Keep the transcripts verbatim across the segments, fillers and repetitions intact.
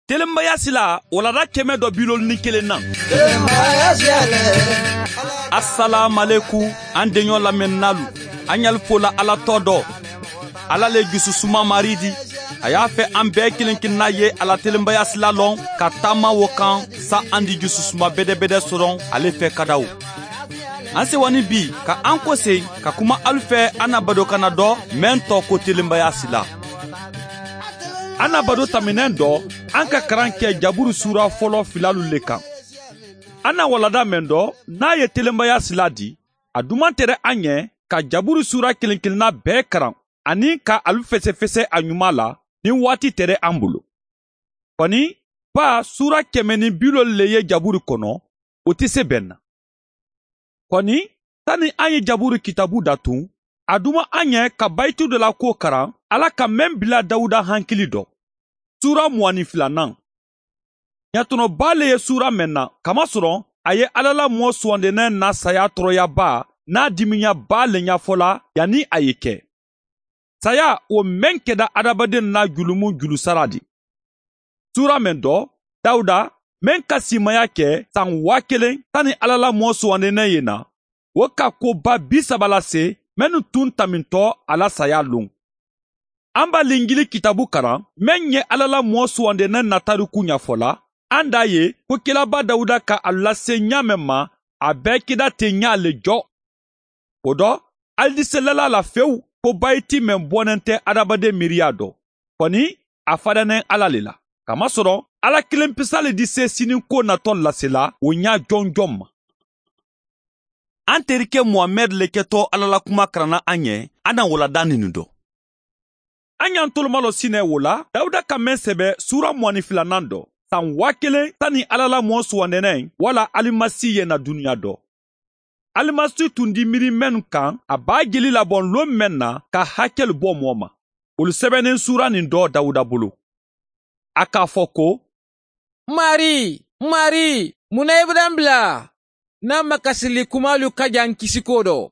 Telenbaya sila, walanda kɛmɛ dɔ bi loolu ni kelen na. Asalaamualekum, an deɲɔ lamɛnnaalu, an ɲali fola Ala tɔ dɔ. Ala le jususuma Marii di. A y'a fɛ an bɛɛ kelen kelenna ye a la telenbaya sila lɔn, ka taama wo kan, sa an di jususuma bedebede sɔrɔ ale fɛ kadaw. An sewani bi ka an kose ka kuma alu fɛ an na badokanna dɔ, meŋ tɔɔ ko telenbaya sila. An na bado taminɛn dɔ, an ka karan kɛ Jaburu suura fɔlɔ filalu le kan. An na walanda meŋ dɔ, n'a ye telenbaya sila di, a duman tere an ye ka Jaburu suura kelen kelenna bɛɛ karan, ani ka alu fesefese a ɲuman la, ni waati tere an bolo. Kɔni, baa suura kɛmɛ ni bi loolu le ye Jaburu kɔnɔ, o tɛ se bɛɛ na. Kɔni, sani an ye Jaburu kitabu datun, a duman an ye ka bayitu dɔ la ko karan, Ala ka meŋ bila Dawuda hankili dɔ. Suura mugan ni filanan. Ɲatɔnɔba le ye suura meŋ na, kamasɔrɔ a ye Ala la mɔɔ suwandennen na saya tɔɔrɔyaba n'a dimiɲaba le ɲafɔla, yanni a ye kɛ. Saya, wo meŋ kɛda adamaden na julumu julusara di. Suura meŋ dɔ, Dawuda, meŋ ka siimaya kɛ san waa kelen sani Ala la mɔɔ suwandennen ye na, wo ka koba bi saba lase mennu tun tamintɔ a la saya loŋ. An ba linjili kitabu karan, meŋ ye Ala la mɔɔ suwandennen na tariku ɲafɔla, an da ye ko kelaba Dawuda ka a lase ɲaameŋ ma, a bɛɛ keda ten ɲaa le jɔ. O dɔ, ali diselala la fewu ko bayiti meŋ bɔnnen tɛ adamaden miiriya dɔ. Kɔni, a fadannen Ala le la, kamasɔrɔ Ala kelenpisa le dise sinin ko natɔ lasela wo ɲaa jɔnjɔn ma. An terikɛ Muhamɛdi le kɛtɔ Ala la kuma karanna an ye, an na walanda ninu dɔ. An y'an tolomalɔ sinɛ wo la Dawuda ka meŋ sɛbɛ suura mugan ni filanan dɔ, san waa kelen sani Ala la mɔɔ suwandennen wala Alimasi ye na duniɲa dɔ. Alimasi tun di miiri mennu kan, a b'a jeli labɔn lon meŋ na ka hakɛlu bɔ mɔɔ ma. Wolu sɛbɛnnen suura nin dɔ Dawuda bolo. A k'a fɔ ko: Marii, Marii, mun na i bada n bila? N na makasili kumaalu ka jan n kisikoo dɔ.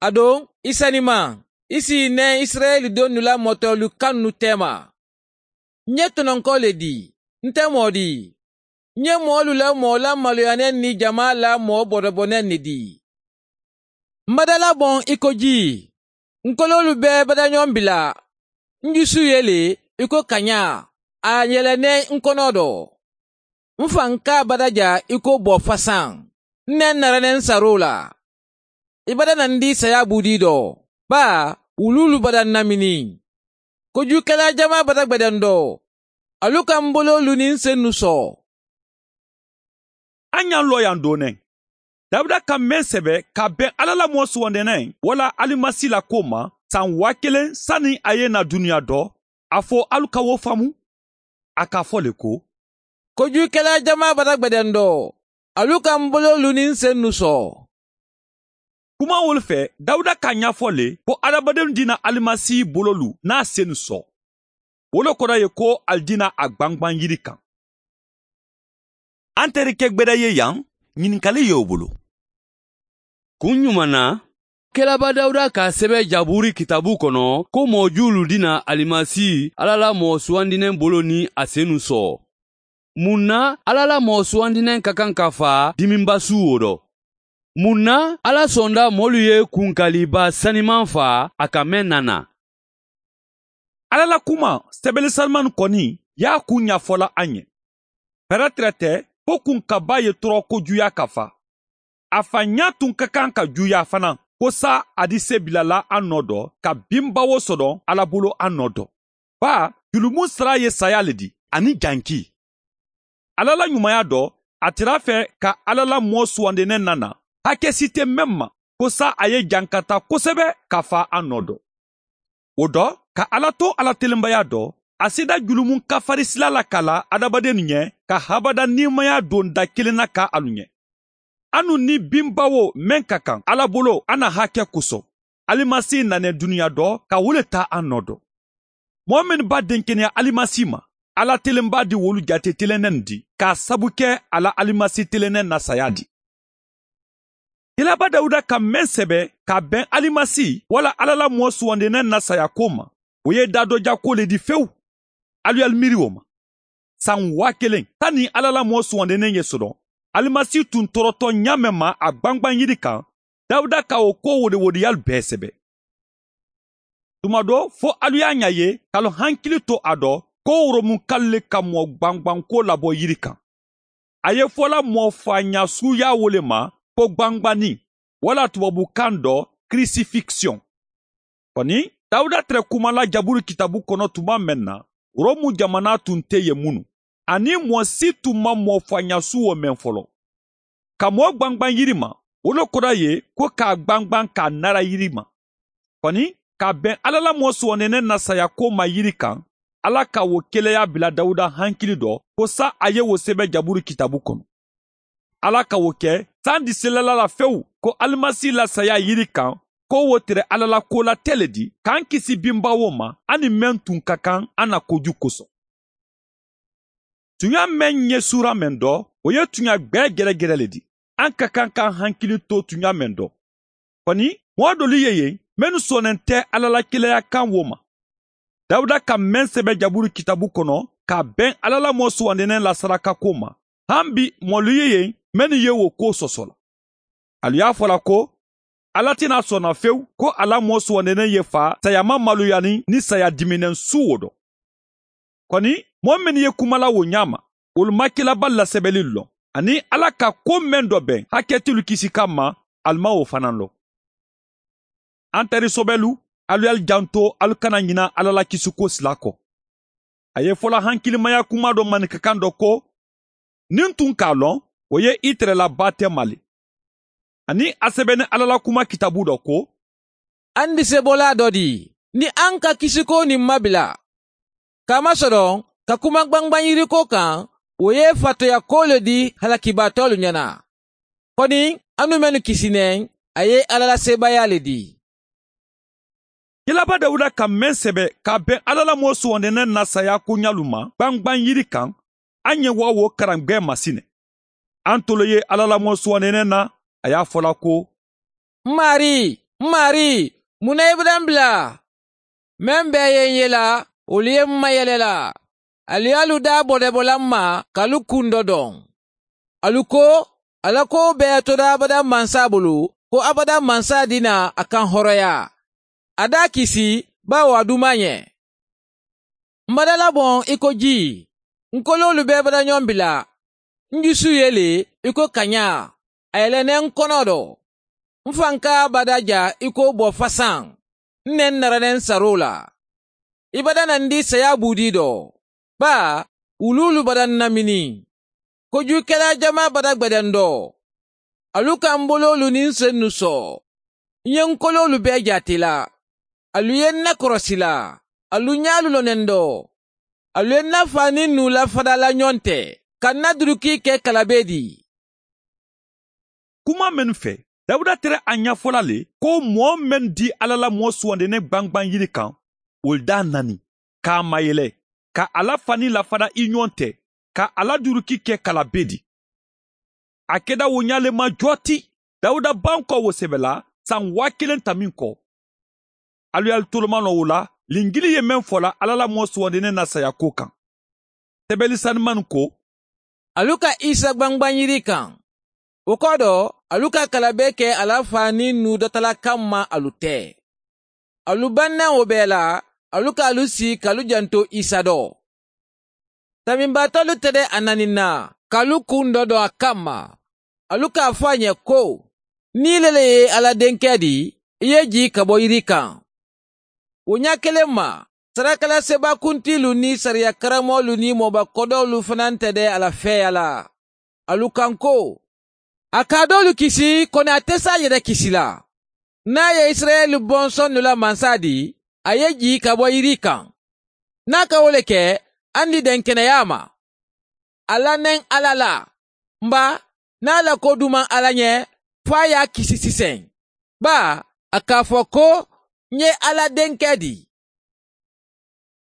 A doŋ, i saniman, i si i neŋ isirayeli donnu la mɔtɔɔlu kannu teema. N ye tɔnɔnkɔ le di, n te moo di. N ye moolu la moo lamaloyaneŋ ni jamaa la moo botoboneŋ ne di. M badala boŋ i ko jii. N koloolu be badaɲoŋ bila. N jusu ye le i ko kaɲaa, a yeleneŋ n kono do. M faŋ ka badaja i ko boo fasaŋ. N ne n nara ne n saroo la. I bada na n di saya buudii do, baa wuluulu bada n namini. Kojuukelaa jamaa bada gbedeŋ do. Alu ka m boloolu niŋ n sennu soo. A ɲa n looyaŋ dooneŋ. Dawuda ka meŋ sebe ka beŋ Alla la moo suwandineŋ walla Alimasi la kuwo ma, saŋ waa keleŋ sani a ye na duniyaa do, a fo alu ka wo faamu. A ka a fo le ko: Kojuukelaa jamaa bata gbedeŋ do, alu ka m boloolu niŋ n sennu soo. Kuma wolu fee, Dawuda ka a ɲafo le ko adamadenw dina Alimasi boloolu niŋ a sennu soo. Wo le kono ye ko ali dina a gbangban yiri kaŋ. An terike gbeda ye yaŋ, ɲininkali ye wo bolo. Kun ɲuman na, kelaba Dawuda ka a sebe jabuuri kitaabu kono ko moo juulu dina Alimasi, Alla la moo suwandineŋ bolo niŋ a sennu soo. Mun na Alla la moo suwandineŋ ka kaŋ ka faa diminba suu wo do? Mun na Alla sonda moolu ye kunkaliba sanimaŋ faa a ka meŋ na naa? Alla la kuma sebeli sanimaŋ koni ye a kuu ɲafo la a ɲe. Peretere te fo kunkaba ye torooko juuyaa ka faa. A faaɲaa tun ka kaŋ ka juuyaa fanaa ko saa a di sebilala a noo do ka binbawo soto alla bulu a noo do. Baa julumu sara ye sayaa le di aniŋ jankii. Alla la ɲumaya do, a tara a fee ka alla la moo suwandineŋ nana, hake si te meŋ ma ko saa a ye jankata kosebe ka faa a noo do. Wo do, ka alla to alla telenbaya do, a seeda julumu kafarisila la ka la adamadennu ɲe, ka habada niimaya donda keleŋ na ka alu ɲe. Anu ni binbawo meŋ ka kaŋ alla bulu a na hake koso, Alimasi nane duniyaa do ka wo le taa a noo do. Moo mennu ba denkeneya Alimasi ma, alla telenba di wolu jaate telenneŋ di ka a sabu ke a la Alimasi telenneŋ na sayaa di. Kelaba Dawuda ka meŋ sebe ka a beŋ Alimasi walla alla la moo suwandineŋ na sayaa ko ma, wo ye daadojako le di fewu. Alu ye alu miiri wo ma. san waa kelen sani alla la moo suwandineŋ ye soto alimasi tun torotɔ ɲaameŋ ma a gbangbaŋ yiri kaŋ. Dawuda ka wo koo wodewodeyaalu bee sebe. Tuma do fo alu ye a ɲa ye ka lo hankili to a do ko woromunkaalu le ka moo gbangbankoo labo yiri kaŋ. A ye fola moo faaɲaasuu ye a wo le ma ko gbangbanniŋ, walla tubaabukaŋ do, kirisifikisiyoŋ. Koni dawuda tere kuma la jaburu kitaabu kono tuma meŋ na, romu jamana tun te ye munu, aniŋ moo si tun maŋ moo faaɲaasuu wo meŋ folo. Ka moo gbangbaŋ yiri ma, wo le koda ye ko ka a gbangbaŋ ka a nara yiri ma. Koni ka a beŋ alla la moo suwandineŋ na sayaakoo ma yiri kaŋ, alla ka wo keleyaa bila dawuda hankili do ko sa a ye wo sebe jaburu kitaabu kono. Alla ka wo ke sandi selala la fewu ko alimasi la sayaa yiri kaŋ, ko wo tere alla la koo la te le di ka n kisi bimbawoo ma a niŋ meŋ tun ka kaŋ a na koju koso. Tuɲa meŋ ye suura meŋ do, wo ye tuɲa gbee geregere le di. An ka kaŋ ka an hankili to tuɲa meŋ do. Koni moo doolu ye yen mennu sooneŋ te alla la kileya kaŋ wo ma. Dawuda ka meŋ sebe jaburu kitaabu kono ka a beŋ alla la moo suwandineŋ la sarakakoo ma, han bi moolu ye yen mennu ye wo koo soso la. Alu ye a fo la ko, alla te naa sonna fewu ko a la moo suwandineŋ ye faa sayaama maluyani niŋ saya dimineŋ suuwo do. Koni moo mennu ye kuma la wo ɲaama, wolu maŋ kilaabaalu la sebelilu loŋ, aniŋ alla ka ko meŋ do beŋ hakkeetilu kisi kamma, ali maŋ wo fanaa loŋ. An tarisobelu, alu ye alu janto alu kana ɲina alla la kisiko sila ko. A ye fola hankilimaya kuma do maninka kaŋ do ko, niŋ n tun ka a loŋ, wo ye itere la baatema le. Aniŋ a sebenin alla la kuma kitaabu do ko, an disebolaa do di, niŋ an ka kisiko niŋ mabila, kaamasoloŋ ka kuma gbangbaŋ yiriko kaŋ, wo ye fatoya koo le di halakibaatoolu ɲana. Koni anu mennu kisi neŋ, a ye alla la seebaayaa le di. Kilaaba dawuda ka meŋ sebe ka a beŋ alla la moo suwandineŋ na sayaakooɲalu ma gbangbaŋ yiri kaŋ, a ɲe waawo karamgbee ma sine. Antolo ye alla la moo suwandineŋ na, a ye a fo la ko, m maarii, m maarii, mun na i bada m bila? Meŋ bee ye n yela, wolu ye m mayele la. Alu ye alu daa bodebola m ma ka alu kundo doŋ. Alu ko, a la koo bee ye todaa abada mansa bulu, ko abada mansa dina a kaŋ horoyaa. A daa kisi, baawo a dumaa ɲe. M bada laboŋ i ko jii, n koloolu bee bada ɲoŋ bila. N jusu ye le i ko kaɲaa, a ye le ne n kono do. M fankaa bada ja i ko boo fasaŋ, n ne n nara ne n saroo la. I bada nandi sayaa buudii do, baa wuluulu bada n namini. Kojuukelaa jamaa bada gbedendo. Alu ka m boloolu niŋ n sennu soo. N ye n koloolu bee jaati la. Alu ye n na korosi la. Alu ñaalu lonendo. Alu ye n na faa niŋ nuu lafada la ñoŋ te, ka n na dulukii ke kalabee di. Kuma mennu fe, dawuda tere a ñafo la le ko moo mennu di alla la moo suwandene gbangbaŋ yiri kaŋ, wolu daa nani, ka a mayele, ka a la fani lafada i ñoŋ te, ka a la duruki ke kala bee di. A keda wo ñaale ma joo ti, dawuda bankoo wo sebe la saŋ waa keleŋ tamiŋ ko. Alu ye alu tolomanoo wo la, linjili ye meŋ fo la alla la moo suwandene na sayaakoo kaŋ. Sebeli sanimanu ko, alu ka isa gbangbaŋ yiri kaŋ. Wo kodo, alu ka kala bee ke a la faa niŋ nuu datala kamma alu te. Alu bannaŋ wo bee la, alu ka alu sii ka alu janto isa do. Tamimbaatolu te de a nani na ka alu kundo do a kamma. Alu ka a fo a ñe ko, niŋ i le le ye alla denkee di, i ye jii ka bo yiri kaŋ. Wo ñaa keleŋ ma, sarakala seebaakuntiilu niŋ sariya karamoolu niŋ mooba kodoolu fanaa te de a la feeyaa la. Alu kaŋ ko, a ka a doolu kisi, kono a te se a yere kisi la. Niŋ a ye isirayeli bonsonnu la mansa di, a ye jii ka bo yiri kaŋ. Niŋ a ka wo le ke, a ni denkeneyaa ma. A la neŋ alla la, mba, niŋ a la ko dumaŋ alla ñe, fo a ye a kisi siseŋ, baa a ka a fo ko, ǹ ye alla denkee di.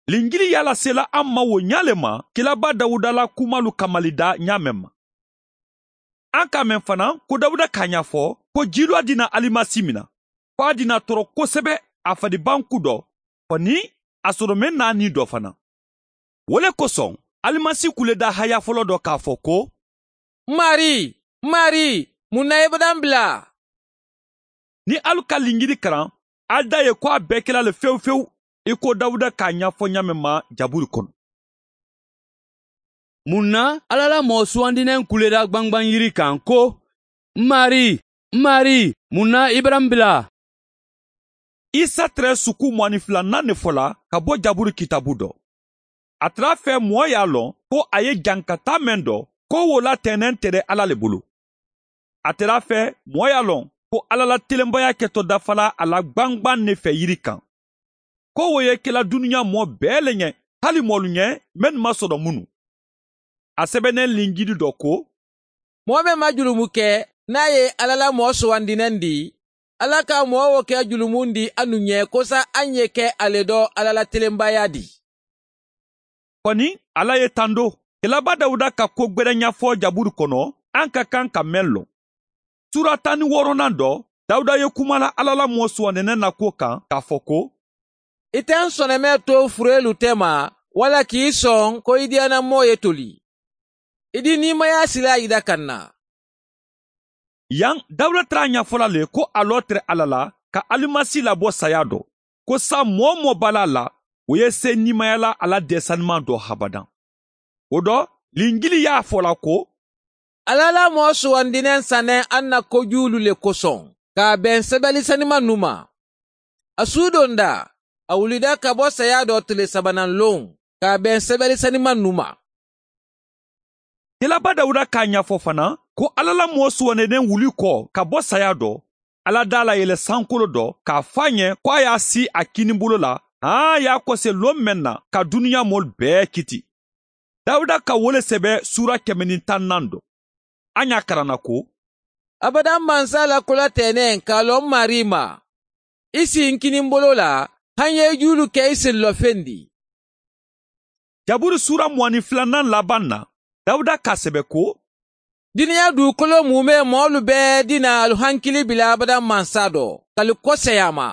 Linjili ye a lasela a ma wo ñaa le ma, kilaaba dawuda la kumalu kamali daa ñaameŋ ma. An ka a meŋ fanaa ko dawuda ka a ñaafo ko jiiloo dina alimasi mina, fo a dina toro kosebe, a fadi banku do, fo niŋ a soto meŋ na a nii do fanaa. Wo le kosoŋ, alimasi kuledaa haya foloo dɔ k'a fɔ ko, n maarii, n maarii, mun na i bada n bila? Niŋ ali ka linjili karaŋ, ali da a ye ko a bee kela le fewu fewu, i ko dawuda k'a ñafo ñaameŋ ma jaburi kono. Mun na alla la moo suwandineŋ kuledaa gbangbaŋ yiri kaŋ ko, n maarii, n maarii, mun na i bada n bila? Isa tere suku muwani filanaŋ ne fola ka bo jaburi kitabu dɔ. A tara a fee moo ye a loŋ ko a ye jankataa meŋ dɔ, ko wo la teeneŋ tere alla le bulu. A tara a fee moo ye a loŋ ko alla la telembayaa keto dafala a la gbangbaŋ ne fee yiri kaŋ, ko wo ye kela duniyaa moo bee le ñe, hali moolu ñe mennu maŋ sodoŋ munu. A sebeneŋ linjili dɔ ko, moo meŋ maŋ julumu ke, niŋ a ye alla la moo suwandineŋ dii, alla ka moo wo ke julumundiŋ a nuŋ ñe kosa a ñe ke a le do alla la telembayaa dii. Koni alla ye tando, kelaba dawuda ka ko gbereñafoo jaburi kono, a ka kaŋ ka meŋ loŋ. Suura taŋ ni wooronaŋ dɔ, dawuda ye kuma la alla la moo suwandineŋ na kuwo kaŋ ka a fo ko, i te n sonemee to fureelu tema, walla k'i soŋ ko i diyana moo ye toli, i di niimayaa silaa i da ka n na. Yaŋ dawuda tara a ñafo la le ko a loo tere alla la, ka alimasi labo sayaa do, ko saayiŋ moo-wo-moo be a la a la, wo ye seeniimayaa la a la deesanimaŋ do habadaŋ. Wo do, linjili ye a fo la ko, alla la moo suwandineŋ saneŋ a na kojuulu le kosoŋ, ka a beŋ sebelisanimaŋ numa. A suudonda, a wulida ka bo sayaa do tile sabanaŋ loŋ, ka a beŋ sebelisanimaŋ numa. Kelaba dawuda ka a ñafo fanaa ko alla la moo suwandineŋ wuli ko ka bo sayaa do, alla daa la yele sankolo do ka a fo a ñe ko a ye a sii a kiniŋ bulu la, haa a ye a kose loŋ meŋ na ka duniyaa moolu bee kiti. Dawuda ka wo le sebe suura keme niŋ taŋ naŋ do. A ña karaŋ na ko, abadaŋ mansa la kula teeneŋ ka a loŋ maarii ma, i sii n kiniŋ bulu la, hani ye juulu ke i sillo fendi. Jaburi suura muwani filanaŋ labaŋ na, dawuda ka a sebe ko, duniyaa duukolo muumee moolu bee dina alu hankili bila abadaŋ mansa do ka alu koseyaa ma.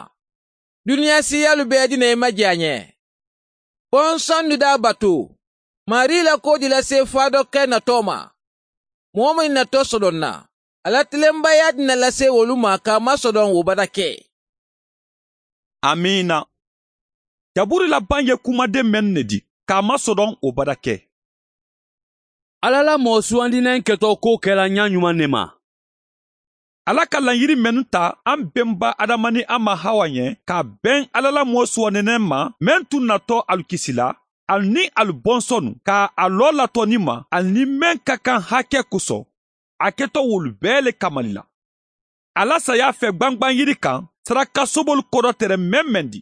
Duniyaa siiyaalu bee dina i ma je a ñe. Bonsoŋ dudaa batu, maarii la koo di lase faadoke natoo ma. Moo meŋ natoo sodoŋ na, a la telembayaa di na lase wolu ma ka a masodoŋ wo bada ke. Amiina. Jaburi labaŋ ye kumadeŋ meŋ ne di ka a masodoŋ wo bada ke. Alla la moo suwandineŋ ketoo koo kela ñaañumaŋ ne ma. Alla ka laɲiri mennu ta a benba adama niŋ a ma hawa ñe ka a beŋ alla la moo suwandineŋ ma meŋ tun natoo alu kisi la, alu niŋ alu bonsonu ka a loo latoni ma alu niŋ meŋ ka kaŋ hake koso, a keto wolu bee le kamali la. Alla sayaa fee gbangbaŋ yiri kaŋ saraka sobolu kodo tere meŋ meŋ di,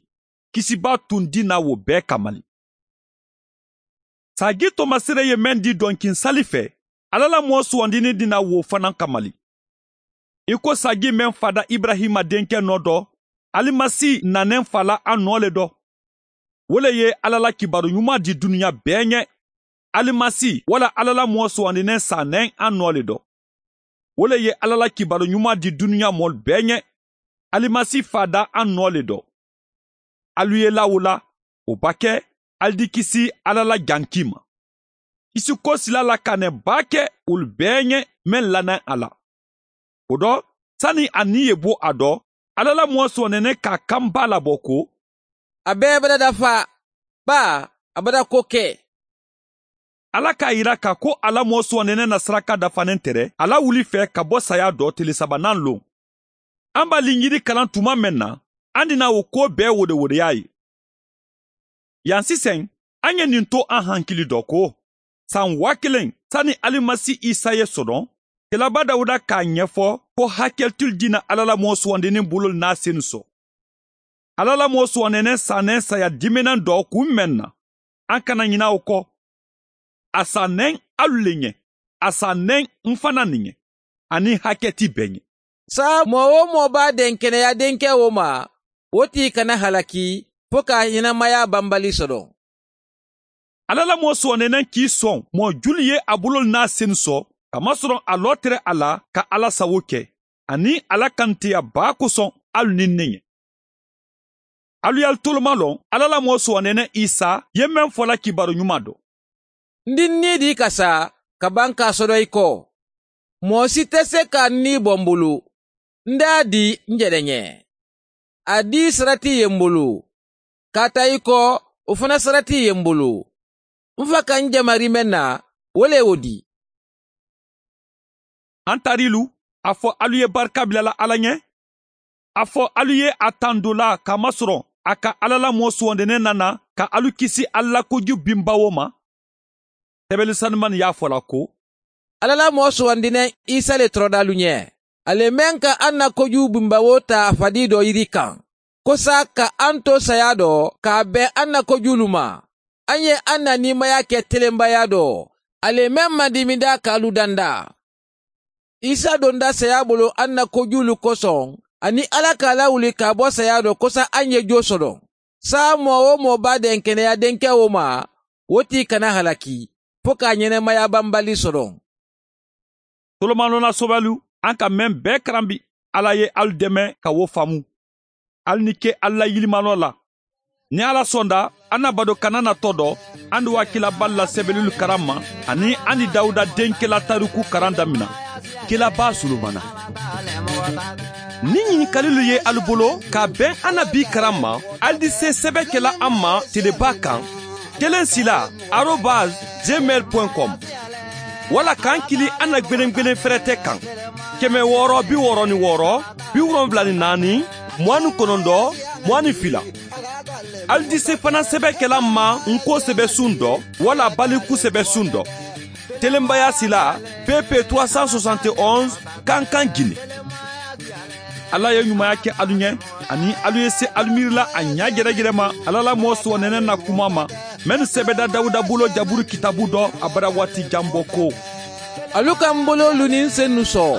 kisibaa tun di na wo bee kamali. Saagii tomasere ye meŋ di donkiŋ sali fee, alla la moo suwandini di na wo fanaa kamali. I ko saagii meŋ faada iburahima denkee noo do, alimasi naneŋ faa la a noo le do. Wo le ye alla la kibaaru ñumaa di duniyaa bee ñe. Alimasi wo le alla la moo suwandiniŋ saaneŋ a noo le do. Wo le ye alla la kibaaru ñumaa di duniyaa moolu bee ñe. Alimasi faada a noo le do. Alu ye lawula, wo ba ke ali di kisi alla la jankii ma. Kisi ko sila la ka ne baa ke wolu bee ñe meŋ lanaŋ a la. Wo do, sani a niŋ ye bo a do, alla la moo soonene ka a kaŋ baa la bo ko, a bee bada dafa, baa a bada ko ke. Alla ka a yira ka ko a la moo suwandene na saraka dafaneŋ tere a la wuli fee ka bo sayaa do tili sabanaŋ loŋ. Aŋ ba linjiri kalaŋ tuma meŋ na, aŋ dina wo kuwo bee wodewodeyaa ye. Yaŋ siseŋ, aŋ ye niŋ to aŋ hankili do ko, saŋ waa kiliŋ sani alimasi isa ye sodoŋ, kelaba dawuda ka a ñefo ko hakilitili dina alla la moo suwandiniŋ bulolu naa senu so. Alla la moo suwandineŋ saaneŋ saya diminaŋ do kuŋ meŋ na, aŋ kana ñina wo ko. A saaneŋ alu le ñe, a saaneŋ m fanaa ne ñe, aniŋ hakiliti bee ñe. Saayiŋ moo-wo-moo be a denkeneya denkee wo ma, wo tii kana halaki fo ka a henemayaa bambali sodoŋ. Alla la moo suwandineŋ kii soŋ moo julu ye a bulolu naa senu so, kamasoroŋ a loo tere a la ka alla sawo ke, aniŋ alla kaniteya baa kosoŋ alu niŋ ne ñe. Alu ye alu toloma loŋ alla la moo suwandineŋ isa ye meŋ fo la kibaaru ñumaa do. N di n nii dii ka sa ka baŋ ka a sodo i ko, moo si te se ka n nii bo m bulu. N daa dii n je le ñe. A dii sarati ye m bulu. Kaata i ko, wo fana sarati ye m bulu. N fa ka n jama rii meŋ na, wo le ye wo dii. Antarilu, a fo alu ye barika bila la alla ñe? A fo alu ye a tandulaa ka masoroŋ a ka alla la moo suwandinee nana ka alu kisi alla la koju bimbawo ma? Tebelu sanumani ye a fo la ko, alla la moo suwandinee isa le toroda alu ñe. A le meŋ ka alla la koju bimbawo taa a fadii do yiri kaŋ, kosa ka alla to sayaa do ka a beŋ alla la kojuulu ma. Alla ye alla la niimaya ke telembayaa do, a le meŋ maŋ dimidaa ka alu dandaa. Isa donda sayaa bulu alla la kojuulu kosoŋ, aniŋ alla ka a lawuli ka a bo sayaa do kosa alla ye joo sodoŋ. Saayiŋ moo-wo-moo be a denkeneya denkewo ma, wo tii kana halaki, fo ka a ñenemayaa bambali sodoŋ. Tolomaanoo na sobalu, alla ka meŋ bee karambi, alla ye alu deme ka wo faamu. Alu ni ke alla la yilimaanoo la. Niŋ alla sonda, alu na bado kana na to do, alu ni waakila baalu la sebelulu karaŋ ma, aniŋ alu ni dawuda denke la tariku karaŋ damina. Kila baa sulumana. Niŋ ñinikalilu ye alu bolo ka a beŋ alu na bii karaŋ ma, alu di se sebe ke la a ma tele baa kaŋ, keleŋ sila, arobas jemel point com. Walla ka n kili alu na gbelengbelen ferete kaŋ, keme wooro bi wooro ni wooro, bi wolonwula ni naani, muwaani konondoo, muwaani fila. Alu di se fanaŋ sebe ke la n ma n ko sebe suŋ do, walla baliku sebe suŋ do. Telembayaa sila, pepe trois cent soixante et onze, kankan gine. Alla ye ñumaya ke alu ñe, aniŋ alu ye se alu miiri la a ñaa jerejere ma alla la moo suwandene na kumaa ma, mennu sebeda dawuda buloo jaburu kitaabu do a bara waati janboo ko, alu ka m boloolu niŋ n sennu soo.